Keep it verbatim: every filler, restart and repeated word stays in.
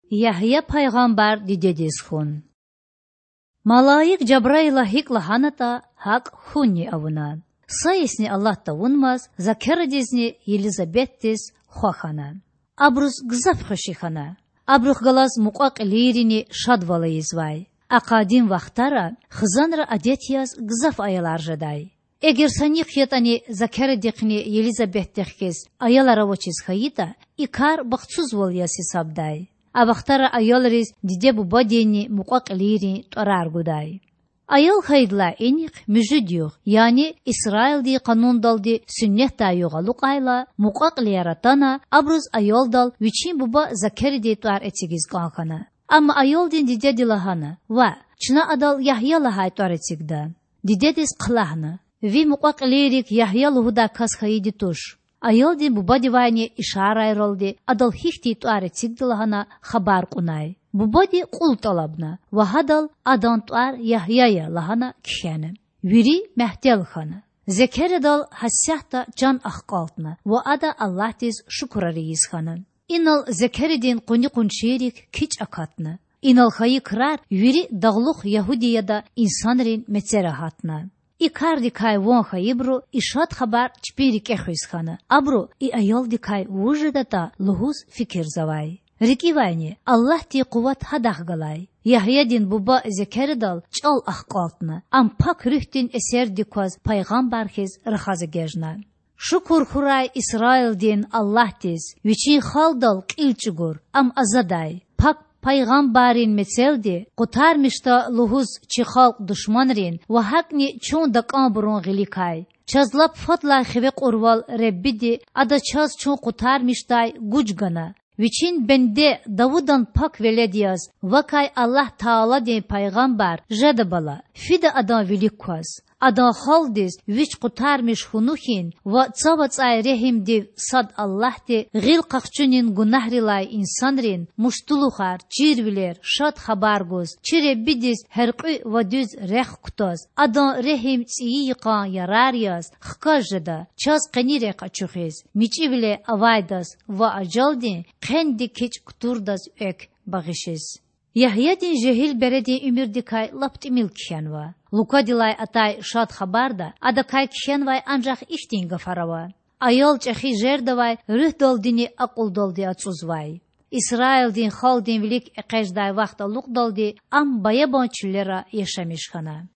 Ягья пайгъамбар дидедиз хьун. Малаик Жабраила гьикІ лагьанатІа, гьакІ хьунни авуна. Са йисни алат тавунмаз, Закарадизни Елизабетдиз хва хьана. Абуруз гзаф хвеши хьана. Абурухъ галаз мукьва-кьилийрини шадвал ийизвай. А къадим вахтара хизанра адет яз гзаф аялар жедай. Эгер са нихъ ятІани Закарадихъни Елизабетдихъ хьиз аялар авачиз хьайитІа, и кар бахтсузвал яз гьисабдай. А вахтара аялриз диде-бубадинни мукьва-кьилийрин тІварар гудай. Аял хьайидалай инихъ муьжуьд югъ, яни Исраилдин къанундалди суннетдай югъ алукьайла, мукьва-кьилияр атана, абуруз аялдал вичин буба Закарадин тІвар эцигиз кІан хьана. Амма аялдин дидеди лагьана: Ваъ, чна адал Ягья лагьай тІвар эцигда. Дидедиз хълагьна: Ви мукьва-кьилийрик Ягья лугьудай кас хьайиди туш. Аялдин бубадивайни ишарайралди адал гьихьтин тІвар эцигда лагьана хабар кьунай. Бубади кьул тІалабна ва гьадал адан тІвар Ягья я лагьана кхьена. Вири мягьтел хьана. Закарадал гьасятда чан ахкьалтна ва ада Аллагьдиз шукурар ийиз хьана. Инал Закарадин къуни-къуншийрик кичІ акатна. Инал хьайи крар вири дагълух Ягьудияда инсанрин мецера гьатна. И кардикай ван хьайибуру и шад хабар чпин рикІе хуьз хьана, абуру, и аялдикай вуж жедатІа, лугьуз фикирзавай. РикІивайни, Аллагьдин къуват гьадахъ галай. Ягьядин буба Закарадал чІал ахкьалтна, ам Пак Руьгьдин эсердик кваз пайгъамбар хьиз рахаз эгечІна. Шукур хьурай Исраилдин Аллагьдиз, Вичин халкьдал кьил чІугур, ам азадай, пак пайгъамбаррин мецелди къутармишда лугьуз чи халкь душманрин ва гьакІни чун такІанбурун гъиликай. Чаз лап фадлай хиве кьурвал Худаванди, Ада чаз чун къутармишдай гуж гана. Вичин бенде Давудан пак велед яз вакай Аллагь Тааладин пайгъамбар жеда бала, фида адан вилик кваз. Адан халкьдиз Вич къутармиш хьуну хьин ва цав ацІай регьимдив сад Аллагьди гъил къахчунин гунагьрилай инсанрин муштулухар, чирвилер, шад хабар гуз, чи Худадиз гьяркьуь ва дуьз рехъ кутаз, Адан регьим цІийи йикъан ярар яз хкаж жеда, чаз къени рехъ ачухиз, мичІивиле авайдаз ва ажалдин хъендик кичІ кутурдаз экв багъишиз. Ягьядин жегьил бередин уьмуьрдикай лап тІимил кхьенва. Лукадилай атай Шад Хабарда адакай кхьенвай анжах ихьтин гафар ава: Аял чІехи жердавай руьгьдалдини акьулдалди ацІузвай. Исраилдин халкьдин вилик экъечІдай вахт алукьдалди ам баябан чуьллера яшамиш хьана.